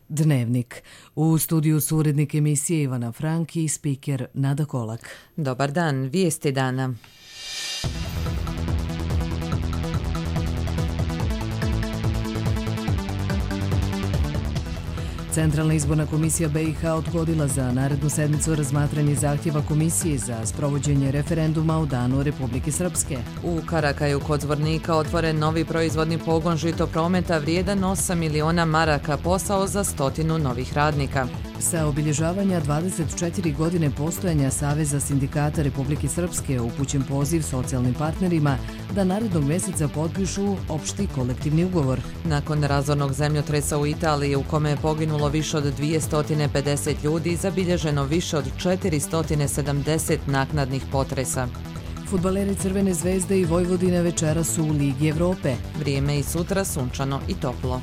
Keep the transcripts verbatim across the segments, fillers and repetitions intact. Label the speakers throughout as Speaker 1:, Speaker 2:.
Speaker 1: Dnevnik. U studiju su urednik emisije Ivana Franki i spiker Nada Kolak.
Speaker 2: Dobar dan, vijesti dana.
Speaker 1: Centralna izborna komisija B i H odgodila za narednu sedmicu razmatranje zahtjeva komisije za sprovođenje referenduma u Danu Republike Srpske.
Speaker 2: U Karakaju kod Zvornika otvoren novi proizvodni pogon žitoprometa vrijedan osam miliona maraka, posao za stotinu novih radnika.
Speaker 1: Sa obilježavanja dvadeset četiri godine postojanja Saveza sindikata Republike Srpske upućen poziv socijalnim partnerima da narednog mjeseca potpišu opšti kolektivni ugovor.
Speaker 2: Nakon razornog zemljotresa u Italiji u kome je poginulo više od dvjesto pedeset ljudi, zabilježeno više od četiristo sedamdeset naknadnih potresa.
Speaker 1: Fudbaleri Crvene zvezde i Vojvodine večeras su u Ligi Evrope.
Speaker 2: Vrijeme i sutra sunčano i toplo.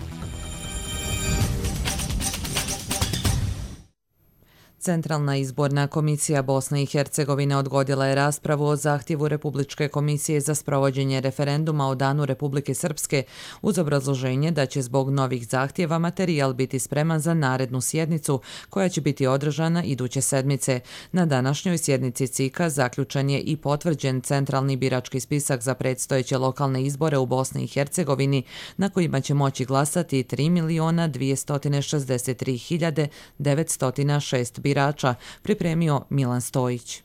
Speaker 2: Centralna izborna komisija Bosne i Hercegovine odgodila je raspravu o zahtjevu Republičke komisije za sprovođenje referenduma o Danu Republike Srpske uz obrazloženje da će zbog novih zahtjeva materijal biti spreman za narednu sjednicu koja će biti održana iduće sedmice. Na današnjoj sjednici C I K-a zaključen je i potvrđen centralni birački spisak za predstojeće lokalne izbore u Bosni i Hercegovini na kojima će moći glasati tri miliona dvjesto šezdeset tri hiljade devetsto šest birača. birača, pripremio Milan Stojić.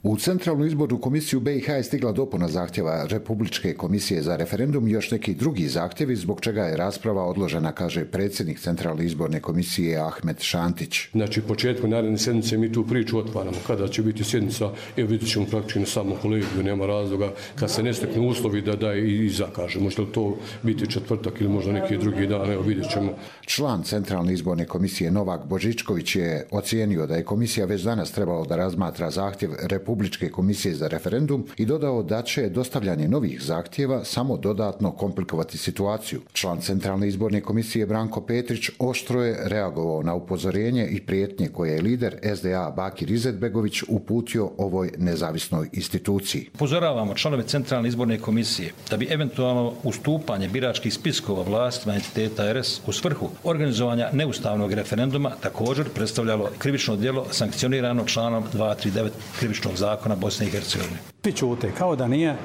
Speaker 3: U Centralnu izbornu komisiju B i H je stigla dopuna zahtjeva Republičke komisije za referendum i još neki drugi zahtjevi, zbog čega je rasprava odložena, kaže predsjednik Centralne izborne komisije Ahmed Šantić.
Speaker 4: Znači, početkom naredne sjednice mi tu priču otvaramo. Kada će biti sjednica, evo vidjet ćemo praktično na samom kolegiju, nema razloga, kad se ne steknu uslovi da da i zakaže. Možda li to biti četvrtak ili možda neki drugi dan, evo vidjet ćemo.
Speaker 3: Član Centralne izborne komisije Novak Božičković je ocijenio da je komisija već danas trebalo da razmatra zahtjev Republičke Republičke komisije za referendum i dodao da će dostavljanje novih zahtjeva samo dodatno komplikovati situaciju. Član Centralne izborne komisije Branko Petrić oštro je reagovao na upozorenje i prijetnje koje je lider S D A Bakir Izetbegović uputio ovoj nezavisnoj instituciji.
Speaker 5: Upozoravamo članove Centralne izborne komisije da bi eventualno ustupanje biračkih spiskova vlastima entiteta R S u svrhu organizovanja neustavnog referenduma također predstavljalo krivično djelo sankcionirano članom dvjesto trideset devet krivičnog zakona zakona Bosne i Hercegovine.
Speaker 6: Svi ćute kao da nije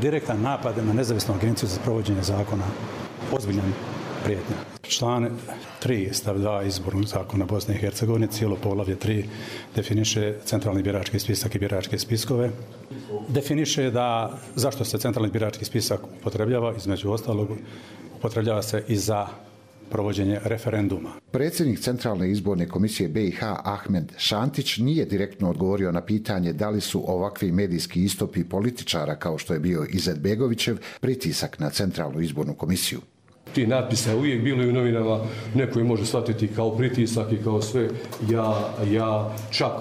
Speaker 6: direktan napad na nezavisnu agenciju za provođenje zakona ozbiljan prijetnja. Član tri stav dva izbornog zakona Bosne i Hercegovine, cijelo poglavlje tri definiše centralni birački spisak i biračke spiskove. Definiše da zašto se centralni birački spisak upotrebljava, između ostalog upotrebljava se i za provođenje referenduma.
Speaker 3: Predsjednik Centralne izborne komisije B i H Ahmed Šantić nije direktno odgovorio na pitanje da li su ovakvi medijski istupi političara kao što je bio Izetbegovićev pritisak na Centralnu izbornu komisiju.
Speaker 4: Ti natpisa uvijek bilo i u novinama, neko je može shvatiti kao pritisak i kao sve, ja, ja čak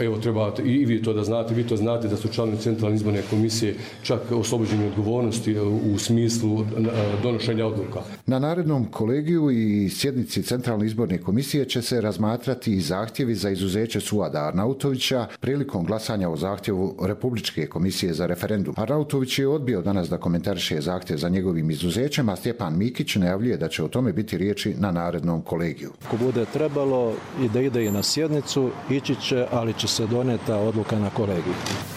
Speaker 4: evo treba i vi to da znate, vi to znate da su članovi Centralne izborne komisije čak oslobođeni odgovornosti u smislu donošenja odluka.
Speaker 3: Na narednom kolegiju i sjednici Centralne izborne komisije će se razmatrati i zahtjevi za izuzeće Suada Arnautovića prilikom glasanja o zahtjevu Republičke komisije za referendum. Arnautović je odbio danas da komentariše zahtjev za njegovim izuzećem, a Stjepan Mikić najavljuje da će o tome biti riječi na narednom kolegiju.
Speaker 7: Ako bude trebalo i da ide i na sjednicu, ići će, ali će se donijeti odluka na kolegiju.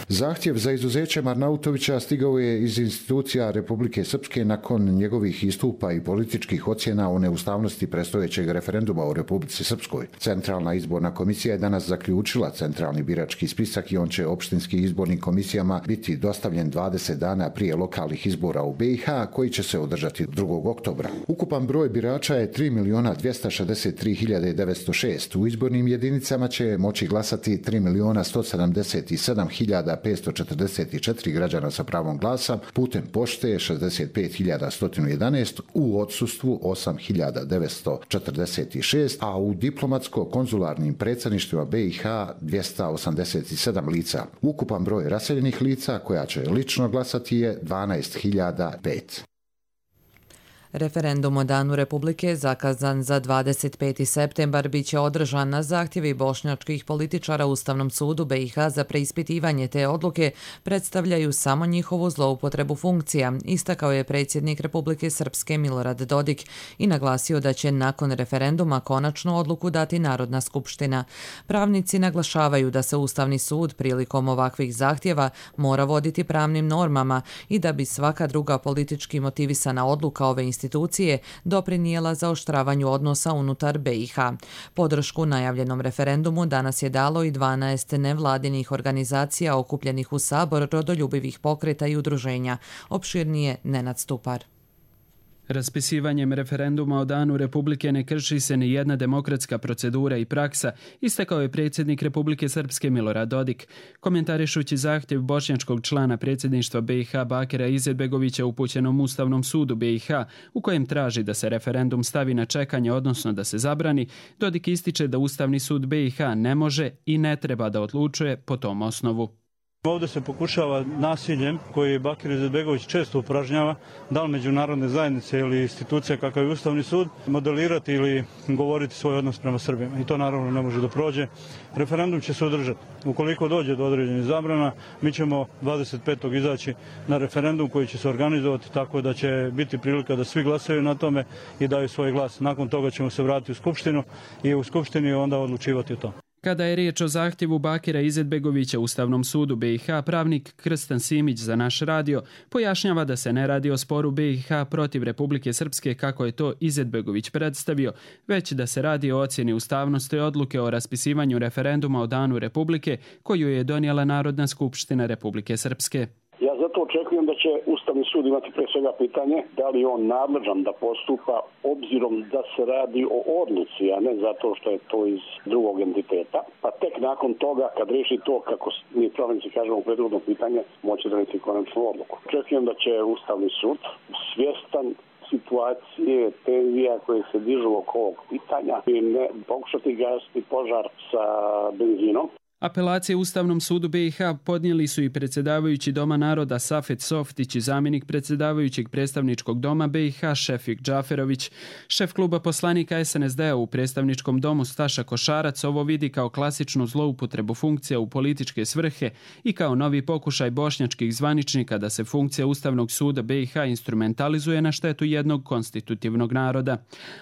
Speaker 3: Zahtjev za izuzećem Arnautovića stigao je iz institucija Republike Srpske nakon njegovih istupa i političkih ocjena o neustavnosti predstojećeg referenduma u Republici Srpskoj. Centralna izborna komisija je danas zaključila centralni birački spisak i on će opštinskim izbornim komisijama biti dostavljen dvadeset dana prije lokalnih izbora u B i H koji će se održati drugog oktobra. Ukupan broj birača je tri miliona dvjesto šezdeset tri hiljade devetsto šest. U izbornim jedinicama će moći glasati tri miliona sto sedamdeset sedam hiljada petsto četrdeset četiri građana sa pravom glasa, putem pošte šezdeset pet hiljada sto jedanaest, u odsustvu osam hiljada devetsto četrdeset šest, a u diplomatsko-konzularnim predsjedništvima B i H dvjesto osamdeset sedam lica. Ukupan broj raseljenih lica koja će lično glasati je dvanaest hiljada pet.
Speaker 2: Referendum o Danu Republike, zakazan za dvadeset peti septembar, bit će održan na zahtjevi bošnjačkih političara Ustavnom sudu B i H za preispitivanje te odluke, predstavljaju samo njihovu zloupotrebu funkcija, istakao je predsjednik Republike Srpske Milorad Dodik i naglasio da će nakon referenduma konačnu odluku dati Narodna skupština. Pravnici naglašavaju da se Ustavni sud prilikom ovakvih zahtjeva mora voditi pravnim normama i da bi svaka druga politički motivisana odluka ove institucije institucije doprinijela zaoštravanju odnosa unutar B i H. Podršku najavljenom referendumu danas je dalo i dvanaest nevladinih organizacija okupljenih u Sabor rodoljubivih pokreta i udruženja. Opširnije Nenad Stupar.
Speaker 8: Raspisivanjem referenduma o Danu Republike ne krši se ni jedna demokratska procedura i praksa, istakao je predsjednik Republike Srpske Milorad Dodik. Komentarišući zahtjev bošnjačkog člana predsjedništva B i H Bakira Izetbegovića upućenom Ustavnom sudu B i H, u kojem traži da se referendum stavi na čekanje, odnosno da se zabrani, Dodik ističe da Ustavni sud B i H ne može i ne treba da odlučuje po tom osnovu.
Speaker 9: Ovdje se pokušava nasiljem, koji Bakir Izetbegović često upražnjava, da li međunarodne zajednice ili institucija kakav je Ustavni sud, modelirati ili govoriti svoj odnos prema Srbima. I to naravno ne može da prođe. Referendum će se održati. Ukoliko dođe do određenih zabrana, mi ćemo dvadeset petog izaći na referendum koji će se organizovati tako da će biti prilika da svi glasaju na tome i daju svoj glas. Nakon toga ćemo se vratiti u Skupštinu i u Skupštini onda odlučivati o tome.
Speaker 8: Kada je riječ o zahtjevu Bakira Izetbegovića Ustavnom sudu B i H, pravnik Krstan Simić za naš radio pojašnjava da se ne radi o sporu B i H protiv Republike Srpske kako je to Izetbegović predstavio, već da se radi o ocjeni ustavnosti odluke o raspisivanju referenduma o Danu Republike koju je donijela Narodna skupština Republike Srpske.
Speaker 10: Ja zato očekujem da će Ustavni sud imati pre svega pitanje da li je on nadležan da postupa obzirom da se radi o odluci, a ne zato što je to iz drugog entiteta. Pa tek nakon toga, kad reši to, kako mi pravnici kažemo u prethodno pitanje, moći donijeti konačnu odluku. Očekujem da će Ustavni sud svjestan situacije, tenzija koje se dižu oko ovog pitanja i ne pokušati gasiti požar sa benzinom.
Speaker 8: Apelacije Ustavnom sudu B i H podnijeli su i predsjedavajući Doma naroda Safet Softić i zamjenik predsjedavajućeg predstavničkog doma B i H Šefik Džaferović. Šef kluba poslanika S N S D-a u predstavničkom domu Staša Košarac ovo vidi kao klasičnu zloupotrebu funkcija u političke svrhe i kao novi pokušaj bošnjačkih zvaničnika da se funkcija Ustavnog suda B i H instrumentalizuje na štetu jednog konstitutivnog naroda.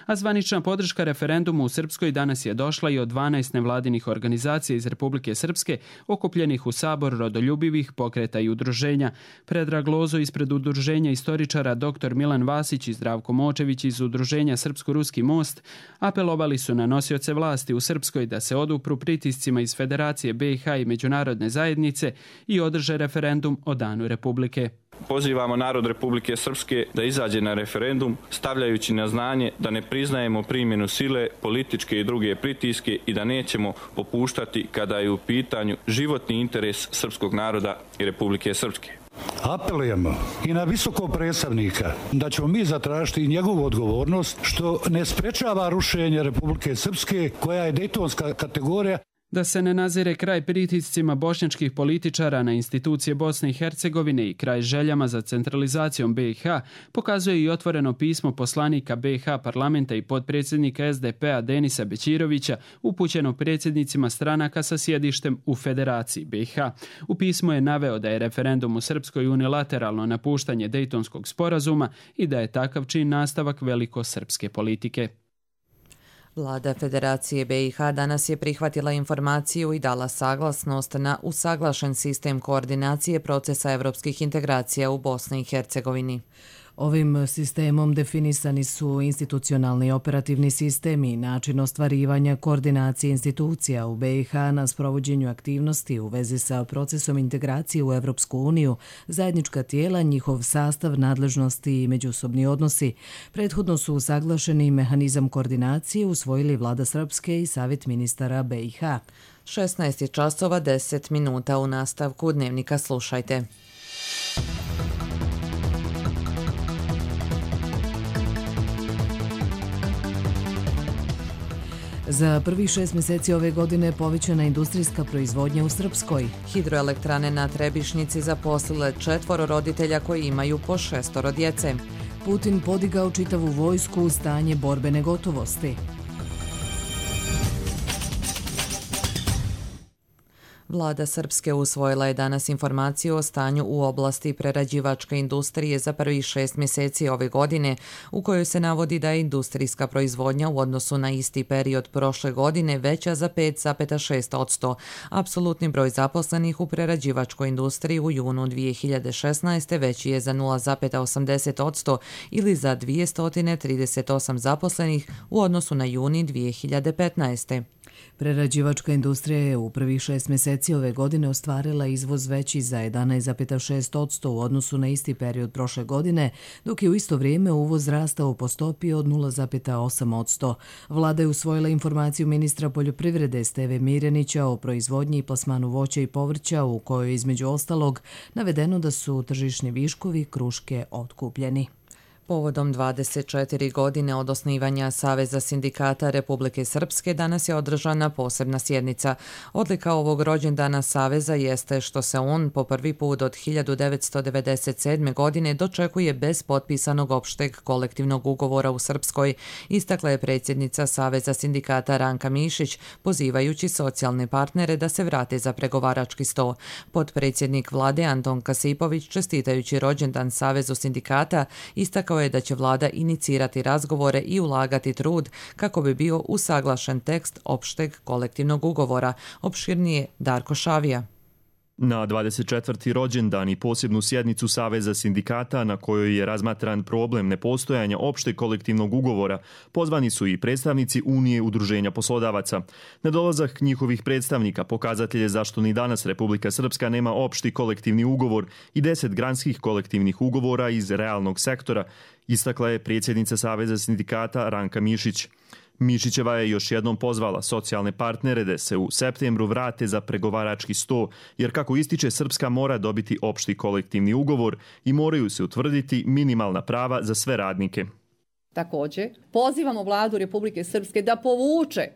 Speaker 8: A zvanična podrška referendumu u Srpskoj danas je došla i od dvanaest nevladinih organizacija iz Republike Srpske, okupljenih u Sabor rodoljubivih pokreta i udruženja. Predrag Lozo ispred udruženja istoričara dr Milan Vasić i Zdravko Močević iz udruženja Srpsko-Ruski most apelovali su na nosioce vlasti u Srpskoj da se odupru pritiscima iz Federacije B i H i međunarodne zajednice i održe referendum o Danu Republike.
Speaker 11: Pozivamo narod Republike Srpske da izađe na referendum, stavljajući na znanje da ne priznajemo primjenu sile, političke i druge pritiske i da nećemo popuštati kada je u pitanju životni interes srpskog naroda i Republike Srpske.
Speaker 12: Apelujemo i na visokog predstavnika da ćemo mi zatražiti njegovu odgovornost što ne sprečava rušenje Republike Srpske koja je dejtonska kategorija.
Speaker 8: Da se ne nazire kraj pritiscima bošnjačkih političara na institucije Bosne i Hercegovine i kraj željama za centralizacijom B i H pokazuje i otvoreno pismo poslanika B i H parlamenta i potpredsjednika S D P-a Denisa Bećirovića upućeno predsjednicima stranaka sa sjedištem u Federaciji B i H. U pismu je naveo da je referendum u Srpskoj unilateralno napuštanje Dejtonskog sporazuma i da je takav čin nastavak velikosrpske politike.
Speaker 2: Vlada Federacije B i H danas je prihvatila informaciju i dala saglasnost na usaglašen sistem koordinacije procesa evropskih integracija u Bosni i Hercegovini.
Speaker 1: Ovim sistemom definisani su institucionalni i operativni sistemi i način ostvarivanja koordinacije institucija u B i H na sprovođenju aktivnosti u vezi sa procesom integracije u Evropsku uniju, zajednička tijela, njihov sastav, nadležnosti i međusobni odnosi. Prethodno su usaglašeni mehanizam koordinacije usvojili Vlada Srpske i Savjet ministara B i H.
Speaker 2: šesnaest časova deset minuta u nastavku Dnevnika slušajte.
Speaker 1: Za prvih šest mjeseci ove godine povećana industrijska proizvodnja u Srpskoj.
Speaker 2: Hidroelektrane na Trebišnjici zaposlile četvoro roditelja koji imaju po šestoro djece.
Speaker 1: Putin podigao čitavu vojsku u stanje borbene gotovosti.
Speaker 2: Vlada Srpske usvojila je danas informaciju o stanju u oblasti prerađivačke industrije za prvih šest mjeseci ove godine, u kojoj se navodi da je industrijska proizvodnja u odnosu na isti period prošle godine veća za pet zarez šest posto. Apsolutni broj zaposlenih u prerađivačkoj industriji u junu dvije hiljade šesnaeste. veći je za nula zarez osamdeset posto ili za dvjesto trideset osam zaposlenih u odnosu na juni dvije hiljade petnaeste.
Speaker 1: Prerađivačka industrija je u prvih šest mjeseci ove godine ostvarila izvoz veći za jedanaest zarez šest posto u odnosu na isti period prošle godine, dok je u isto vrijeme uvoz rastao po stopi od nula zarez osam posto. Vlada je usvojila informaciju ministra poljoprivrede Steve Mirjanića o proizvodnji i plasmanu voća i povrća, u kojoj je između ostalog navedeno da su tržišni viškovi kruške otkupljeni.
Speaker 2: Povodom dvadeset četiri godine od osnivanja Saveza sindikata Republike Srpske danas je održana posebna sjednica. Odlika ovog rođendana Saveza jeste što se on po prvi put od hiljadu devetsto devedeset sedme. godine dočekuje bez potpisanog opšteg kolektivnog ugovora u Srpskoj, istakla je predsjednica Saveza sindikata Ranka Mišić, pozivajući socijalne partnere da se vrate za pregovarački sto. Potpredsjednik vlade Anton Kasipović, čestitajući rođendan Savezu sindikata, istakao je da će vlada inicirati razgovore i ulagati trud kako bi bio usaglašen tekst opšteg kolektivnog ugovora. Opširnije Darko Šavija.
Speaker 13: Na dvadeset četvrti rođendan i posebnu sjednicu Saveza sindikata na kojoj je razmatran problem nepostojanja opšteg kolektivnog ugovora, pozvani su i predstavnici Unije udruženja poslodavaca. Nedolazak njihovih predstavnika pokazatelj je zašto ni danas Republika Srpska nema opšti kolektivni ugovor i deset granskih kolektivnih ugovora iz realnog sektora, istakla je predsjednica Saveza sindikata Ranka Mišić. Mišićeva je još jednom pozvala socijalne partnere da se u septembru vrate za pregovarački sto, jer kako ističe, Srpska mora dobiti opšti kolektivni ugovor i moraju se utvrditi minimalna prava za sve radnike.
Speaker 14: Također, pozivamo vladu Republike Srpske da povuče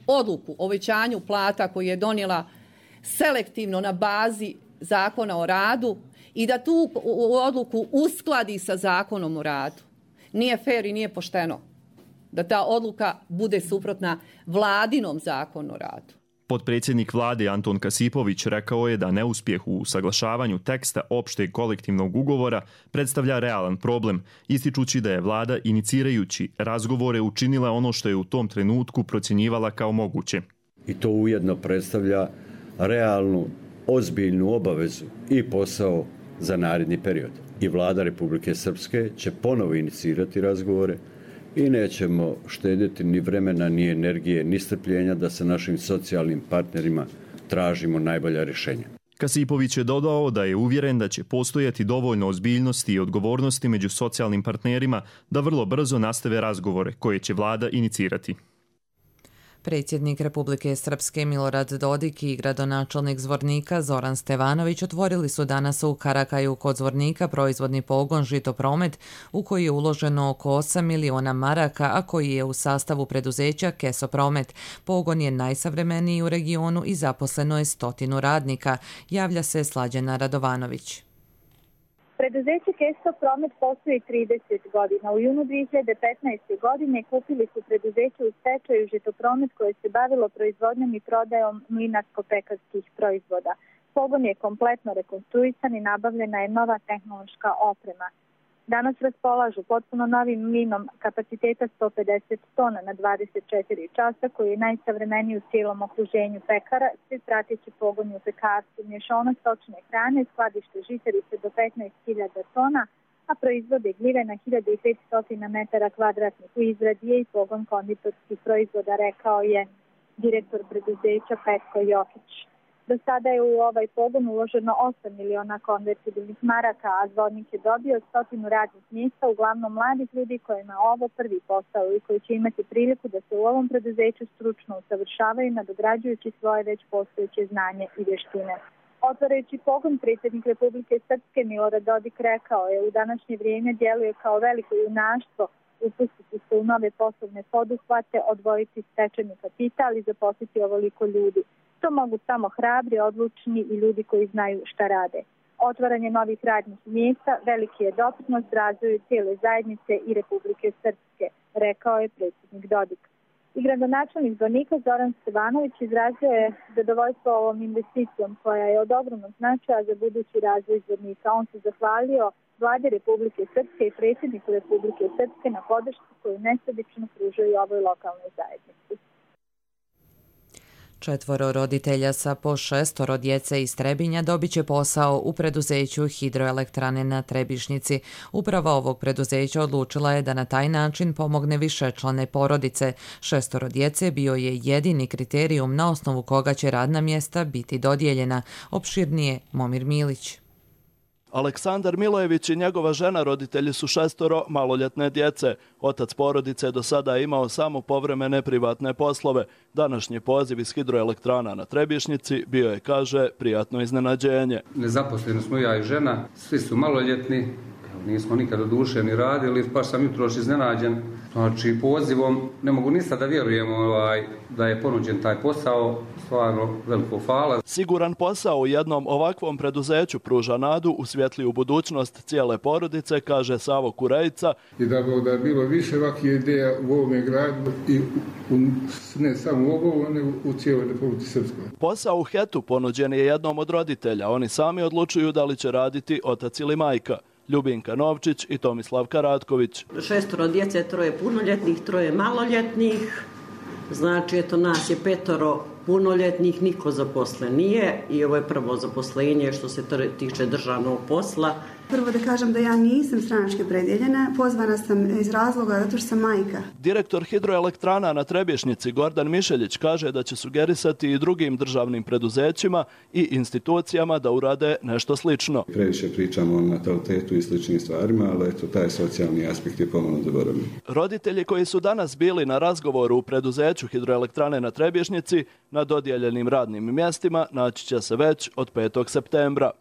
Speaker 14: odluku o većanju plata koju je donijela selektivno na bazi Zakona o radu i da tu odluku uskladi sa Zakonom o radu. Nije fer i nije pošteno da ta odluka bude suprotna vladinom Zakonu o radu.
Speaker 13: Potpredsjednik vlade Anton Kasipović rekao je da neuspjeh u usaglašavanju teksta opšteg kolektivnog ugovora predstavlja realan problem, ističući da je vlada inicirajući razgovore učinila ono što je u tom trenutku procjenjivala kao moguće.
Speaker 15: I to ujedno predstavlja realnu, ozbiljnu obavezu i posao za naredni period. I vlada Republike Srpske će ponovo inicirati razgovore i nećemo štedjeti ni vremena, ni energije, ni strpljenja da sa našim socijalnim partnerima tražimo najbolja rješenja.
Speaker 13: Kasipović je dodao da je uvjeren da će postojati dovoljno ozbiljnosti i odgovornosti među socijalnim partnerima da vrlo brzo nastave razgovore koje će vlada inicirati.
Speaker 2: Predsjednik Republike Srpske Milorad Dodik i gradonačelnik Zvornika Zoran Stevanović otvorili su danas u Karakaju kod Zvornika proizvodni pogon Žitopromet, u koji je uloženo oko osam miliona maraka, a koji je u sastavu preduzeća Kesopromet. Pogon je najsavremeniji u regionu i zaposleno je stotinu radnika, javlja se Slađana Radovanović.
Speaker 16: Preduzeće Keso Promet postoji trideset godina. U junu dvije hiljade petnaeste. godine kupili su preduzeće u stečaju Žitopromet koje se bavilo proizvodnjom i prodajom mlinarsko-pekarskih proizvoda. Pogon je kompletno rekonstruisan i nabavljena je nova tehnološka oprema. Danas raspolažu potpuno novim mlinom kapaciteta sto pedeset tona na dvadeset četiri časa, koji je najsavremeniji u cijelom okruženju pekara, svi prateći pogoni u pekarstvu, mješovina stočne hrane, skladište žitarice do petnaest hiljada tona, a proizvode gljive na hiljadu petsto metara kvadratnih. U izradi je i pogon konditorskih proizvoda, rekao je direktor preduzeća Petko Jokić. Do sada je u ovaj pogon uloženo osam miliona konvertibilnih maraka, a Zvornik je dobio stotinu radnih mjesta, uglavnom mladih ljudi kojima je ovo prvi posao i koji će imati priliku da se u ovom preduzeću stručno usavršavaju, nadograđujući svoje već postojeće znanje i vještine. Otvarajući pogon, predsjednik Republike Srpske Milorad Dodik rekao je: u današnje vrijeme djeluje kao veliko junaštvo upustiti se u nove poslovne poduhvate, odvojiti stečeni kapital i zaposliti ovoliko ljudi. To mogu samo hrabri, odlučni i ljudi koji znaju šta rade. Otvaranje novih radnih mjesta veliki je doprinos razvoju cijele zajednice i Republike Srpske, rekao je predsjednik Dodik. I gradonačelnik Zvornika Zoran Stevanović izrazio je zadovoljstvo ovom investicijom koja je od ogromnog značaja za budući razvoj Zvornika. On se zahvalio vladi Republike Srpske i predsjedniku Republike Srpske na podršci koju nesebično pružaju ovoj lokalnoj zajednici.
Speaker 2: Četvoro roditelja sa po šestoro djece iz Trebinja dobit će posao u preduzeću Hidroelektrane na Trebišnjici. Uprava ovog preduzeća odlučila je da na taj način pomogne višečlane porodice. Šestoro djece bio je jedini kriterijum na osnovu koga će radna mjesta biti dodijeljena. Opširnije Momir Milić.
Speaker 17: Aleksandar Milojević i njegova žena roditelji su šestoro maloljetne djece. Otac porodice je do sada imao samo povremene privatne poslove. Današnji poziv iz Hidroelektrana na Trebišnjici bio je, kaže, prijatno iznenađenje.
Speaker 18: Nezaposleni smo ja i žena, svi su maloljetni, nismo nikad oduševni radili, baš sam jutroš iznenađen. Znači, pozivom ne mogu ni sad da vjerujem ovaj, da je ponuđen taj posao, stvarno veliko hvala.
Speaker 17: Siguran posao u jednom ovakvom preduzeću pruža nadu u svjetliju budućnost cijele porodice, kaže Savo Kurejica.
Speaker 19: I da bi da bilo više ovakvih ideja u ovome gradu i u, ne samo u ovom, nego u cijeloj Republici Srpskoj.
Speaker 17: Posao u Hetu ponuđen je jednom od roditelja. Oni sami odlučuju da li će raditi otac ili majka. Ljubinka Novčić i Tomislav Karatković.
Speaker 20: Šestoro djece, troje punoljetnih, troje maloljetnih. Znači, eto, nas je petoro punoljetnih, niko zaposlen nije i ovo je prvo zaposlenje što se tiče državnog posla.
Speaker 21: Prvo da kažem da ja nisam stranački opredjeljena, pozvana sam iz razloga zato što sam majka.
Speaker 17: Direktor Hidroelektrana na Trebišnjici Gordan Mišeljić kaže da će sugerisati i drugim državnim preduzećima i institucijama da urade nešto slično.
Speaker 22: Previše pričamo o natalitetu i sličnim stvarima, ali eto, taj socijalni aspekt je pomalo zaboravljen.
Speaker 17: Roditelji koji su danas bili na razgovoru u preduzeću Hidroelektrane na Trebišnjici na dodijeljenim radnim mjestima naći će se već od petog septembra.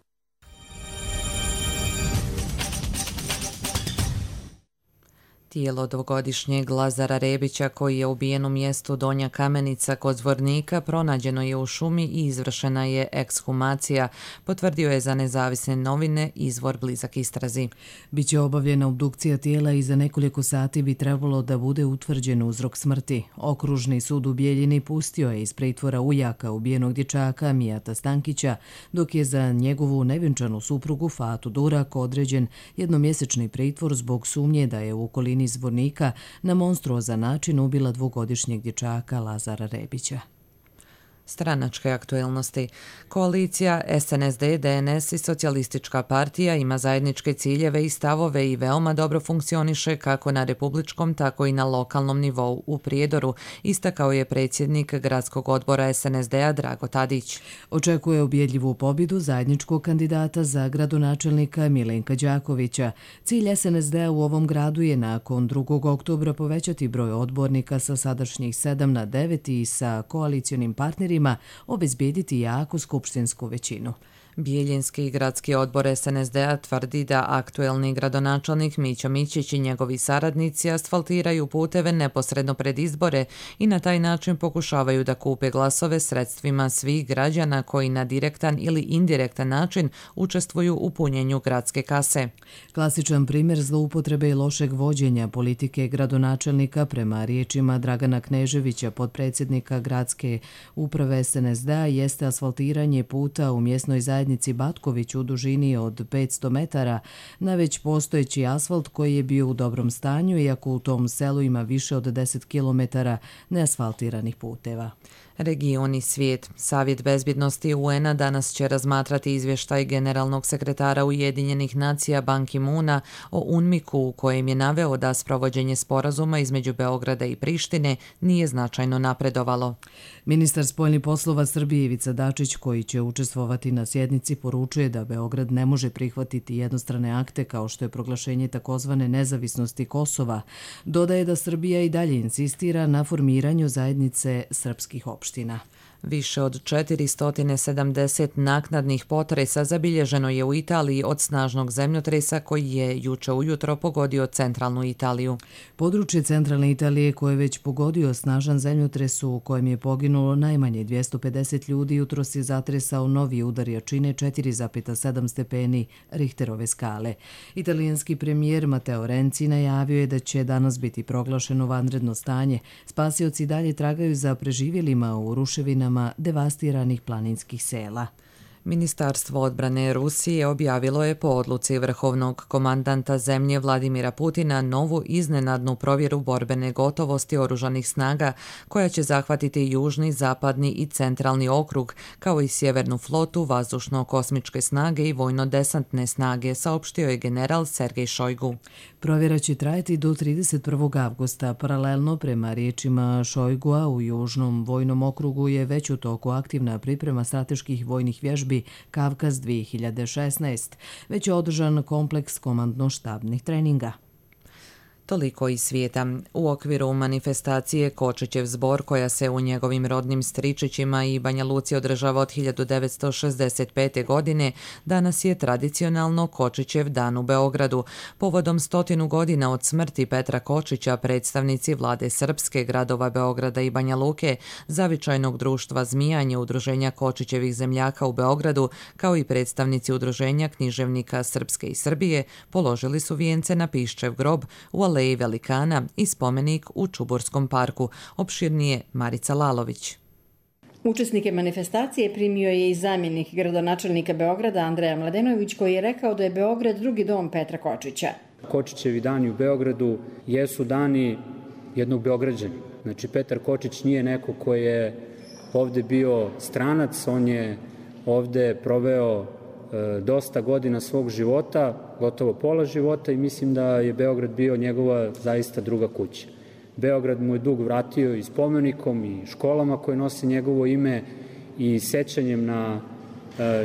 Speaker 2: Tijelo dvogodišnjeg Lazara Rebića, koji je ubijen u mjestu Donja Kamenica kod Zvornika, pronađeno je u šumi i izvršena je ekshumacija, potvrdio je za Nezavisne novine izvor blizak istrazi.
Speaker 1: Biće obavljena obdukcija tijela i za nekoliko sati bi trebalo da bude utvrđen uzrok smrti. Okružni sud u Bijeljini pustio je iz pritvora ujaka ubijenog dječaka Mijata Stankića, dok je za njegovu nevjenčanu suprugu Fatu Durak određen jednomjesečni pritvor zbog sumnje da je u okolini iz Zvornika na monstruozan način ubila dvogodišnjeg dječaka Lazara Rebića.
Speaker 2: Stranačke aktuelnosti. Koalicija S N S D, D N S i Socijalistička partija ima zajedničke ciljeve i stavove i veoma dobro funkcioniše kako na republičkom, tako i na lokalnom nivou u Prijedoru, istakao je predsjednik gradskog odbora S N S D-a Drago Tadić.
Speaker 1: Očekuje ubjedljivu pobjedu zajedničkog kandidata za gradonačelnika Milenka Đakovića. Cilj S N S D-a u ovom gradu je nakon drugog oktobra povećati broj odbornika sa sadašnjih sedam na devet i sa koalicionim partnerima obezbijediti jaku skupštinsku većinu.
Speaker 2: Bijeljinski gradski odbor S N S D-a tvrdi da aktuelni gradonačelnik Mićo Mićić i njegovi saradnici asfaltiraju puteve neposredno pred izbore i na taj način pokušavaju da kupe glasove sredstvima svih građana koji na direktan ili indirektan način učestvuju u punjenju gradske kase.
Speaker 1: Klasičan primjer zloupotrebe i lošeg vođenja politike gradonačelnika prema riječima Dragana Kneževića, potpredsjednika gradske uprave S N S D-a, jeste asfaltiranje puta u mjesnoj zajednici Batković u dužini od petsto metara na već postojeći asfalt koji je bio u dobrom stanju, iako u tom selu ima više od deset kilometara neasfaltiranih puteva.
Speaker 2: Region i svijet. Savjet bezbjednosti U N-a danas će razmatrati izvještaj generalnog sekretara Ujedinjenih nacija Ban Ki-moona o UNMIK-u, u kojem je naveo da sprovođenje sporazuma između Beograda i Prištine nije značajno napredovalo.
Speaker 1: Ministar spoljnih poslova Srbije Ivica Dačić, koji će učestvovati na sjednici, poručuje da Beograd ne može prihvatiti jednostrane akte kao što je proglašenje takozvane nezavisnosti Kosova. Dodaje da Srbija i dalje insistira na formiranju zajednice srpskih opština.
Speaker 2: Više od četiristo sedamdeset naknadnih potresa zabilježeno je u Italiji od snažnog zemljotresa koji je juče ujutro pogodio centralnu Italiju.
Speaker 1: Područje centralne Italije koje je već pogodio snažan zemljotres u kojem je poginulo najmanje dvjesto pedeset ljudi jutros je zatresao novi udar jačine četiri zarez sedam stepeni Richterove skale. Italijanski premijer Matteo Renzi najavio je da će danas biti proglašeno vanredno stanje. Spasioci dalje tragaju za preživjelima u ruševinama devastiranih planinskih sela.
Speaker 2: Ministarstvo odbrane Rusije objavilo je po odluci vrhovnog komandanta zemlje Vladimira Putina novu iznenadnu provjeru borbene gotovosti oružanih snaga koja će zahvatiti južni, zapadni i centralni okrug, kao i sjevernu flotu, vazdušno-kosmičke snage i vojno-desantne snage, saopštio je general Sergej Šojgu.
Speaker 1: Provjera će trajati do trideset prvog avgusta. Paralelno, prema riječima Šojgua, u južnom vojnom okrugu je već u toku aktivna priprema strateških vojnih vježbi Kavkaz dvije hiljade šesnaest. Već je održan kompleks komandno-štabnih treninga.
Speaker 2: Toliko iz svijeta. U okviru manifestacije Kočićev zbor, koja se u njegovim rodnim Stričićima i Banja Luci održava od hiljadu devetsto šezdeset pete. godine, danas je tradicionalno Kočićev dan u Beogradu. Povodom stotinu godina od smrti Petra Kočića, predstavnici vlade Srpske, gradova Beograda i Banja Luke, Zavičajnog društva Zmijanje, Udruženja Kočićevih zemljaka u Beogradu, kao i predstavnici Udruženja književnika Srpske i Srbije, položili su vijence na Piščev grob u Aleji Velikana i spomenik u Čuburskom parku. Opširnije Marica Lalović.
Speaker 5: Učesnike manifestacije primio je i zamjenik gradonačelnika Beograda Andreja Mladenović, koji je rekao da je Beograd drugi dom Petra Kočića.
Speaker 6: Kočićevi dani u Beogradu jesu dani jednog Beograđana. Znači, Petar Kočić nije neko koji je ovde bio stranac, on je ovde proveo dosta godina svog života, gotovo pola života, i mislim da je Beograd bio njegova zaista druga kuća. Beograd mu je dug vratio i spomenikom i školama koje nose njegovo ime i sećanjem na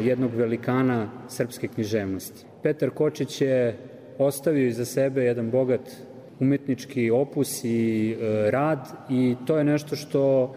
Speaker 6: jednog velikana srpske književnosti. Petar Kočić je ostavio iza sebe jedan bogat umetnički opus i rad i to je nešto što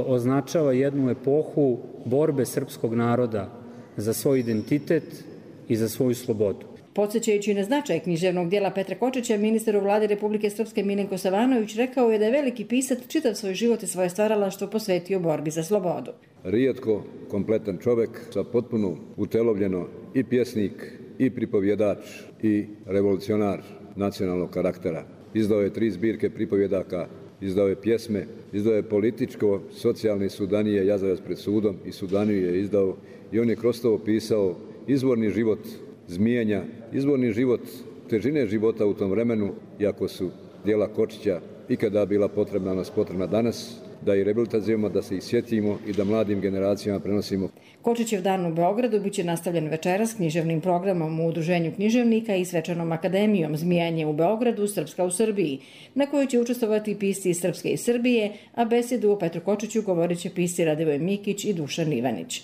Speaker 6: označava jednu epohu borbe srpskog naroda za svoj identitet i za svoju slobodu.
Speaker 5: Podsjećajući na značaj književnog dijela Petra Kočića, ministar u vladi Republike Srpske Milenko Savanović rekao je da je veliki pisac čitav svoj život i svoje stvaralaštvo posvetio borbi za slobodu.
Speaker 23: Rijetko kompletan čovjek, sa potpuno utelovljeno i pjesnik, i pripovjedač, i revolucionar nacionalnog karaktera. Izdao je tri zbirke pripovjedaka, izdao je pjesme, izdao je političko, socijalni Sudanije, Jazavac pred sudom i Sudaniju je izdao i on je kroz to opisao izvorni život Zmijenja, izvorni život, težine života u tom vremenu, iako su djela Kočića ikada bila potrebna, nas potrebna danas, da ih rehabilitazujemo, da se ih sjetimo i da mladim generacijama prenosimo.
Speaker 5: Kočićev dan u Beogradu biće nastavljen večeras književnim programom u Udruženju književnika i svečanom akademijom Zmijanje u Beogradu, Srpska u Srbiji, na kojoj će učestvovati pisci iz Srpske i Srbije, a besedu o Petru Kočiću govorit će pisci Radivoj Mikić i Dušan Ivanić.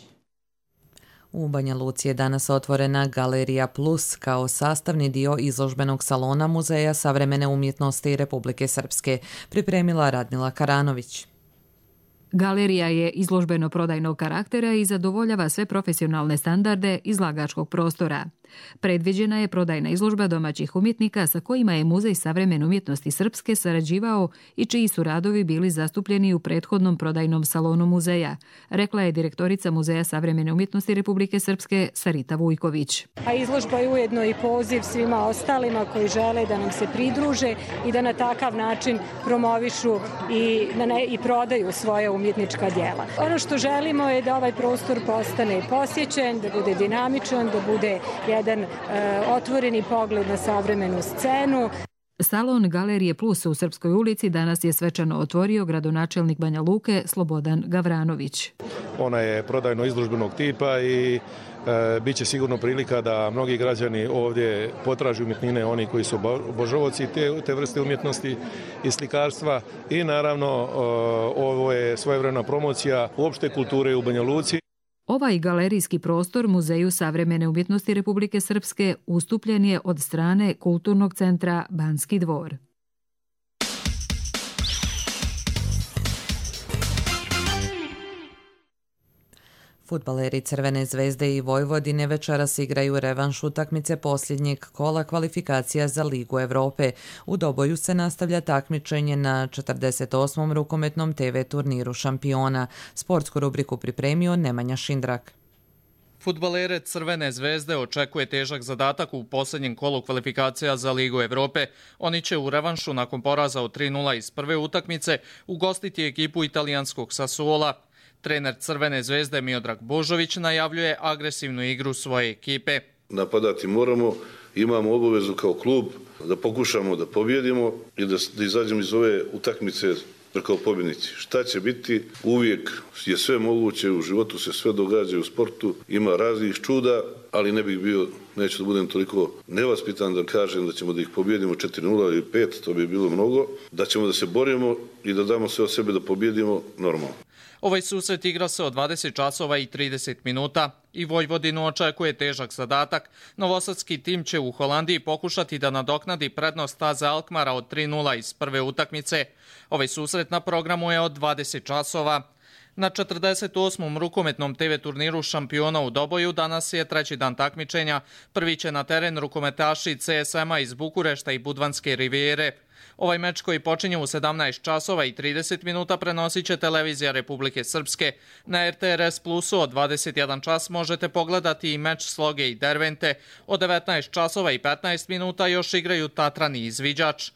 Speaker 2: U Banja Luci je danas otvorena Galerija Plus kao sastavni dio izložbenog salona Muzeja savremene umjetnosti Republike Srpske, pripremila Radmila Karanović.
Speaker 24: Galerija je izložbeno-prodajnog karaktera i zadovoljava sve profesionalne standarde izlagačkog prostora. Predviđena je prodajna izložba domaćih umjetnika sa kojima je Muzej savremene umjetnosti Srpske sarađivao i čiji su radovi bili zastupljeni u prethodnom prodajnom salonu muzeja, rekla je direktorica Muzeja savremene umjetnosti Republike Srpske Sarita Vujković.
Speaker 25: A izložba je ujedno i poziv svima ostalima koji žele da nam se pridruže i da na takav način promovišu i, ne, i prodaju svoje umjetnička djela. Ono što želimo je da ovaj prostor postane posjećen, da bude dinamičan, da bude jedan e, otvoreni pogled na savremenu scenu.
Speaker 24: Salon Galerije Plus u Srpskoj ulici danas je svečano otvorio gradonačelnik Banja Luke Slobodan Gavranović.
Speaker 26: Ona je prodajno izložbenog tipa i e, bit će sigurno prilika da mnogi građani ovdje potražuju umjetnine, oni koji su obožavaoci te, te vrste umjetnosti i slikarstva i naravno e, ovo je svojevremena promocija uopšte kulture u Banja Luci.
Speaker 24: Ovaj galerijski prostor Muzeju savremene umjetnosti Republike Srpske ustupljen je od strane Kulturnog centra Banski dvor.
Speaker 2: Fudbaleri Crvene zvezde i Vojvodine večeras igraju revanš utakmice posljednjeg kola kvalifikacija za Ligu Evrope. U Doboju se nastavlja takmičenje na četrdeset osmom rukometnom te ve turniru šampiona. Sportsku rubriku pripremio Nemanja Šindrak.
Speaker 3: Fudbalere Crvene zvezde očekuje težak zadatak u posljednjem kolu kvalifikacija za Ligu Evrope. Oni će u revanšu nakon poraza od tri nula iz prve utakmice ugostiti ekipu italijanskog Sassuola. Trener Crvene zvezde Miodrag Božović najavljuje agresivnu igru svoje ekipe.
Speaker 4: Napadati moramo, imamo obavezu kao klub da pokušamo da pobjedimo i da, da izađemo iz ove utakmice kao pobjednici. Šta će biti? Uvijek je sve moguće, u životu se sve događa, u sportu ima raznih čuda, ali ne bih bio, neću da budem toliko nevaspitan da kažem da ćemo da ih pobjedimo četiri nula ili pet, to bi bilo mnogo, da ćemo da se borimo i da damo sve od sebe da pobjedimo normalno.
Speaker 3: Ovaj susret igra se od dvadeset časova i trideset minuta i Vojvodinu očekuje težak zadatak. Novosadski tim će u Holandiji pokušati da nadoknadi prednost Staze Alkmara od tri nula iz prve utakmice. Ovaj susret na programu je od dvadeset časova. Na četrdeset osmom rukometnom te ve turniru šampiona u Doboju danas je treći dan takmičenja. Prvi će na teren rukometaši ce es ema iz Bukurešta i Budvanske rivijere. Ovaj meč koji počinje u sedamnaest časova i trideset minuta prenosit će televizija Republike Srpske. Na er te er es Plusu od dvadeset jedan čas možete pogledati i meč Sloge i Dervente. Od devetnaest časova i petnaest minuta još igraju Tatran i Izviđač.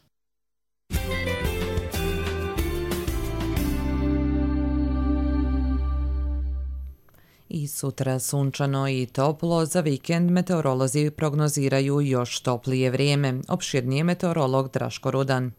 Speaker 2: I sutra sunčano i toplo, za vikend meteorolozi prognoziraju još toplije vrijeme. Opširnije meteorolog Draško Rudan.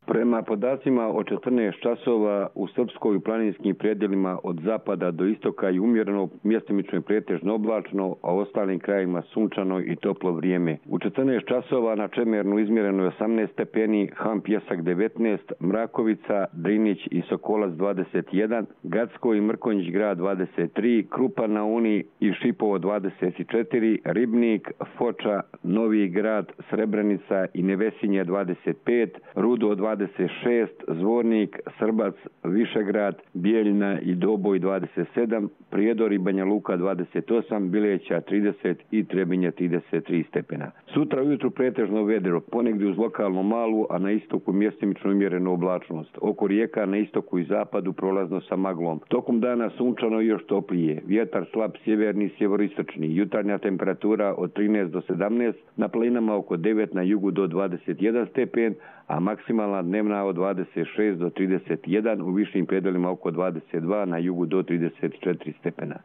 Speaker 7: Prema podacima od četrnaest časova u Srpskoj i planinskim predjelima od zapada do istoka je umjereno, mjestimično i pretežno oblačno, a u ostalim krajima sunčano i toplo vrijeme. U četrnaest časova na Čemernu izmjereno je osamnaest stepeni, Ham Pjesak devetnaest, Mrakovica, Drinić i Sokolac dvadeset jedan, Gacko i Mrkonjić grad dvadeset tri, Krupa na Uni i Šipovo dvadeset četiri, Ribnik, Foča, Novi grad, Srebrenica i Nevesinje dvadeset pet, Rudo dvadeset šest, Zvornik, Srbac, Višegrad, Bijeljina i Doboj dvadeset sedam, Prijedor i Banja Luka dvadeset osam, Bileća trideset i Trebinje trideset tri stepena. Sutra ujutru pretežno vedro, ponegdje uz lokalno malu, a na istoku mjestimično umjerenu oblačnost. Oko rijeka na istoku i zapadu prolazno sa maglom. Tokom dana sunčano i još toplije. Vjetar slab sjeverni, sjeveristočni. Jutarnja temperatura od trinaest do sedamnaest, na planinama oko devet, na jugu do dvadeset jedan stepen, a maksimalna dnevna od dvadeset šest do trideset jedan, u višim predelima oko dvadeset dva, na jugu do trideset četiri stepena.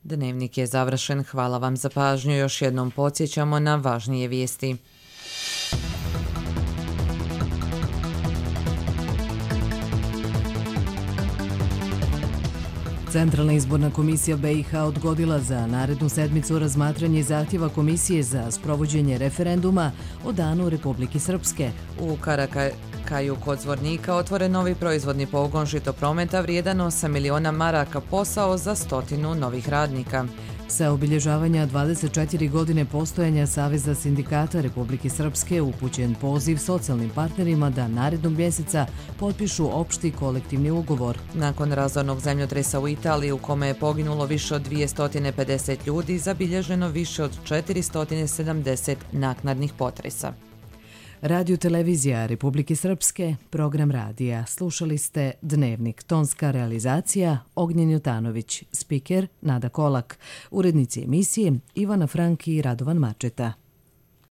Speaker 2: Dnevnik je završen. Hvala vam za pažnju. Još jednom podsjećamo na važnije vijesti.
Speaker 1: Centralna izborna komisija be i ha odgodila za narednu sedmicu razmatranje zahtjeva komisije za sprovođenje referenduma o Danu Republike Srpske.
Speaker 2: U Karakaju kod Zvornika otvoren novi proizvodni pogon žitoprometa vrijedan osam miliona maraka, posao za stotinu novih radnika.
Speaker 1: Sa obilježavanja dvadeset četiri godine postojanja Saveza sindikata Republike Srpske upućen poziv socijalnim partnerima da narednog mjeseca potpišu opšti kolektivni ugovor.
Speaker 2: Nakon razornog zemljotresa u Italiji u kome je poginulo više od dvjesto pedeset ljudi, zabilježeno više od četiristo sedamdeset naknadnih potresa.
Speaker 1: Radio televizija Republike Srpske, program radija. Slušali ste Dnevnik, tonska realizacija Ognjen Jutanović, spiker Nada Kolak, urednici emisije Ivana Franki i Radovan Mačeta.